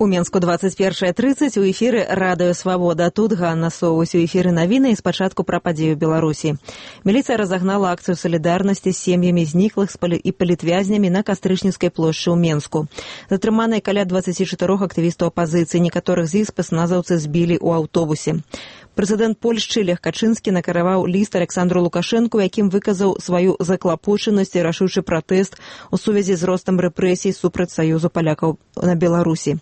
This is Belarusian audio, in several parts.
У Менску 21:30 у эфіры радыё «Свабода». Тут Ганна Соўвась у эфіры навіны і спачатку пра падзею Беларусі. Міліцыя разагнала акцыю салідарнасці з сем'ямі зніклых і палітвязнямі на Кастрычніцкай плошчы ў Менску. Затрыманыя каля 24 актывістаў апазіцыі, некаторых з іх спецназаўцы збілі ў аўтобусе. Прэзідэнт Польшчы Лех Качынскі накіраваў ліст Александру Лукашэнку, якім выказаў сваю заклапочанасць і рашучы пратэст у сувязі з ростам рэпрэсій супраць Саюзу палякаў на Беларусі.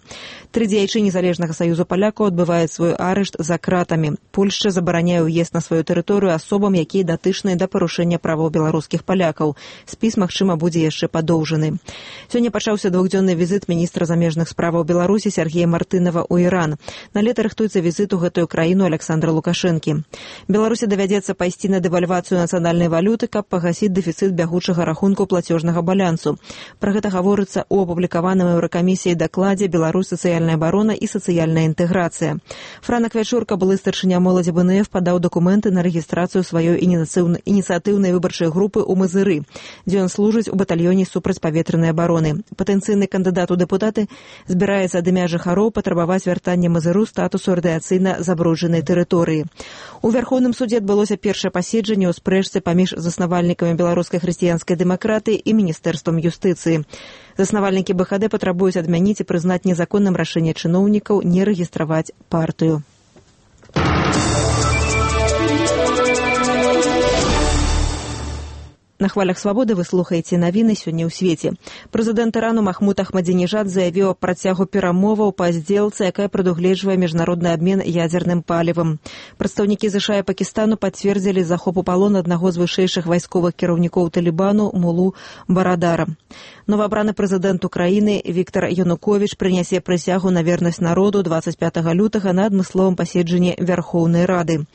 3 дзеячы незалежнага Саюзу палякаў адбываюць свой арышт за кратамі. Польшча забараняе ўезд на сваю тэрыторыю асобам, якія датычныя да парушэння правоў беларускіх палякаў. Спіс, магчыма, будзе яшчэ падоўжаны. Сёння пачаўся двухдзённы візіт міністра замежных справаў Беларусі Сергея Мартынова ў Іран. На лета рыхтуецца візіт у гэтую краіну Александра Лукашэнкі. Беларусі давядзецца пайсці на дэвальвацыю нацыянальнай валюты, каб пагасіць дэфіцыт бягучага рахунку плацежнага балансу. Пра гэта гаворыцца ў апублікаваным Еўракамісіяй дакладзе «Беларусь. Сацыяльная абарона і сацыяльная інтэграцыя». Франак Вячурка, былы старшыня моладзі БНФ, падаў дакументы на рэгістрацыю сваёй ініцыятыўнай выбарчай групы ў Мазыры, дзе ён служыць у батальёне супрацьпаветранай абароны. Патэнцыйны кандыдат у дэпутаты збіраецца ад імя жыхароў патрабаваць вяртання Мазыру статусу радыяцыйна забруджанай тэрыторыі. У Вярхоўным судзе адбылося першае паседжанне ў спрэчцы паміж заснавальнікамі беларускай хрысціянскай дэмакратыі і міністэрствам юстыцыі. Заснавальнікі БХД патрабуюць адмяніць і прызнаць незаконным рашэнне чыноўнікаў не рэгістраваць партыю. На хвалях «Свабоды» вы слухаеце навіны сёння ў свеце. Прэзідэнт Ірану Махмуд Ахмадзінежад заявіў аб працягу перамоваў па здзелцы, якая прадугледжвае міжнародны абмен ядзерным палівам. Прадстаўнікі ЗША і Пакістану пацвердзілі захоп у палон аднаго з вышэйшых вайсковых кіраўнікоў Талібану Мулу Барадара. Новаабраны прэзідэнт Украіны Віктар Януковіч прынясе прысягу на вернасць народу 25 лютага на адмысловым паседжанні Вярхоўнай Рады.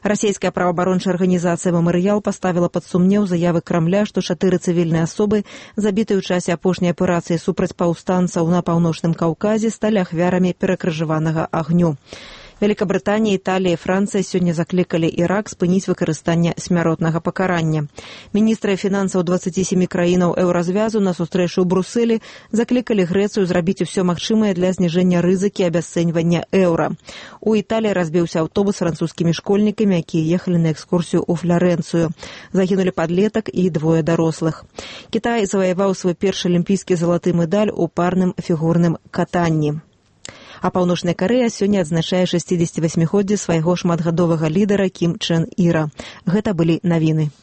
Расійская праваабарончая арганізацыя «Мемарыял» паставіла пад сумнеў заявы Крамля, што 4 цывільныя асобы, забітыя ў часе апошняй аперацыі супраць паўстанцаў на Паўночным Каўказе, сталі ахвярамі перакрыжаванага агню. Великабрытанія, Італія і Францыя сёння заклікалі Ірак спыніць выкарыстанне смяротнага пакарання. Міністры фінансаў 27 краінаў еўразвязу на сустрэчу ў Брусэлі заклікалі Грэцыю зрабіць усё магчымае для зніжэння рызыкі абясцэньвання еўра. У Італіі разбіўся аўтобус з французскімі школьнікамі, якія ехалі на экскурсію ў Фларэнцыю. Загінулі падлетак і 2 дарослых. Кітай заваяваў свой першы алімпійскі залаты медаль у парным фігурным катанні. А Паўночная Карэя сёння адзначае 68-годдзе свайго шматгадовага лідара Кім Чэн Іра. Гэта былі навіны.